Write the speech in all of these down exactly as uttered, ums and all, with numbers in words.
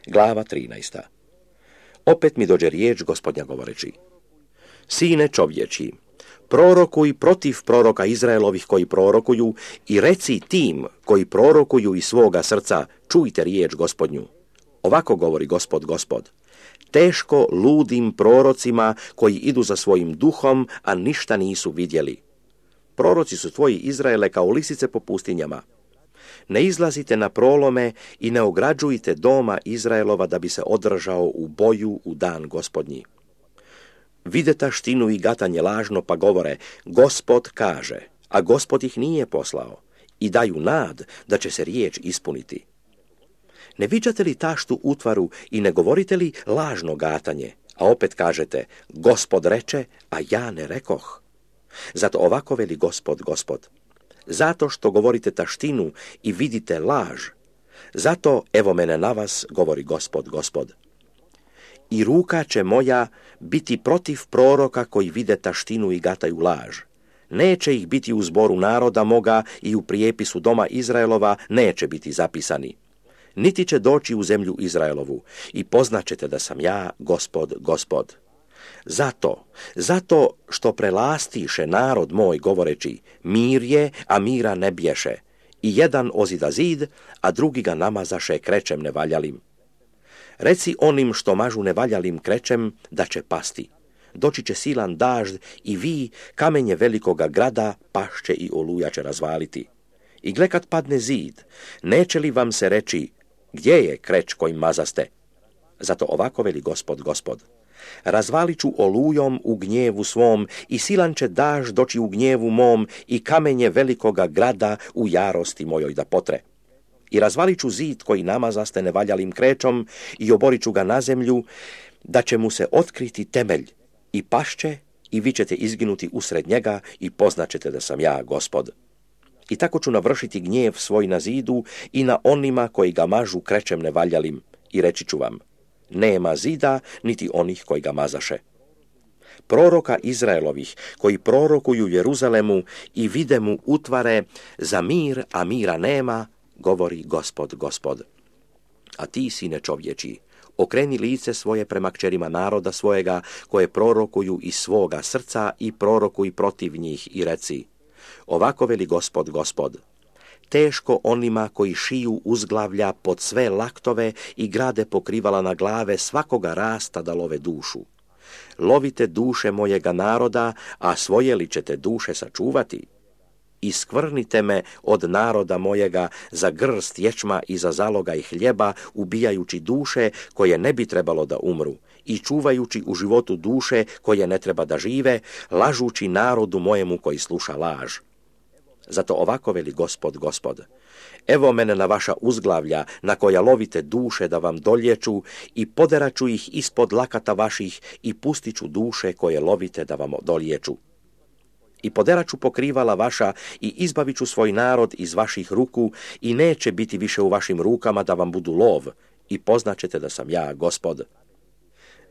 Glava trinaesta. Opet mi dođe riječ Gospodnja govoreći: Sine čovječi, prorokuj protiv proroka Izraelovih koji prorokuju i reci tim koji prorokuju iz svoga srca, čujte riječ Gospodnju. Ovako govori Gospod, Gospod: teško ludim prorocima koji idu za svojim duhom, a ništa nisu vidjeli. Proroci su tvoji, Izraele, kao lisice po pustinjama. Ne izlazite na prolome i ne ograđujte doma Izraelova da bi se održao u boju u dan Gospodnji. Vide taštinu i gatanje lažno, pa govore: Gospod kaže, a Gospod ih nije poslao, i daju nad da će se riječ ispuniti. Ne viđate li taštu utvaru i ne govorite li lažno gatanje, a opet kažete: Gospod reče, a ja ne rekoh. Zato ovako veli Gospod, Gospod: zato što govorite taštinu i vidite laž, zato evo mene na vas, govori Gospod, Gospod. I ruka će moja biti protiv proroka koji vide taštinu i gataju laž. Neće ih biti u zboru naroda moga i u prijepisu doma Izraelova neće biti zapisani. Niti će doći u zemlju Izraelovu i poznaćete da sam ja, Gospod, Gospod. Zato, zato što prelastiše narod moj govoreći: mir je, a mira ne bješe, i jedan ozida zid, a drugi ga namazaše krećem nevaljalim. Reci onim što mažu nevaljalim krećem da će pasti. Doći će silan dažd i vi, kamenje velikoga grada, pašće i oluja će razvaliti. I gle kad padne zid, neće li vam se reći: gdje je kreć kojim mazaste? Zato ovako veli Gospod, Gospod: razvalit ću olujom u gnjevu svom i silan će dažd doći u gnjevu mom i kamenje velikoga grada u jarosti mojoj da potre. I razvalit ću zid koji namazaste nevaljalim krećom i oborit ću ga na zemlju, da će mu se otkriti temelj, i pašće i vi ćete izginuti usred njega i poznaćete da sam ja, Gospod. I tako ću navršiti gnjev svoj na zidu i na onima koji ga mažu krećem nevaljalim, i reći ću vam: nema zida niti onih koji ga mazaše. Proroka Izraelovih koji prorokuju Jeruzalemu i vide mu utvare za mir, a mira nema, govori Gospod, Gospod. A ti, sine čovječi, okreni lice svoje prema kćerima naroda svojega koje prorokuju iz svoga srca i prorokuj protiv njih i reci: ovako veli Gospod, Gospod: teško onima koji šiju uzglavlja pod sve laktove i grade pokrivala na glave svakoga rasta da love dušu. Lovite duše mojega naroda, a svoje li ćete duše sačuvati? Iskvrnite me od naroda mojega za grst ječma i za zalogaj hljeba, ubijajući duše koje ne bi trebalo da umru i čuvajući u životu duše koje ne treba da žive, lažući narodu mojemu koji sluša laž. Zato ovako veli Gospod, Gospod: evo mene na vaša uzglavlja na koja lovite duše da vam dolječu i poderaću ih ispod lakata vaših i pustiću duše koje lovite da vam dolječu. I poderaću pokrivala vaša i izbavit ću svoj narod iz vaših ruku i neće biti više u vašim rukama da vam budu lov, i poznaćete da sam ja, Gospod.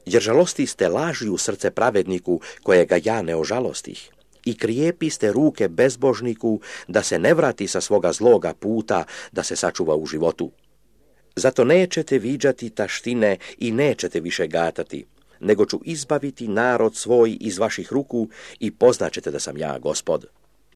Jer žalosti ste laži u srce pravedniku kojega ja ne ožalostih, i krijepi ste ruke bezbožniku da se ne vrati sa svoga zloga puta, da se sačuva u životu. Zato nećete viđati taštine i nećete više gatati, nego ću izbaviti narod svoj iz vaših ruku i poznaćete da sam ja, Gospod.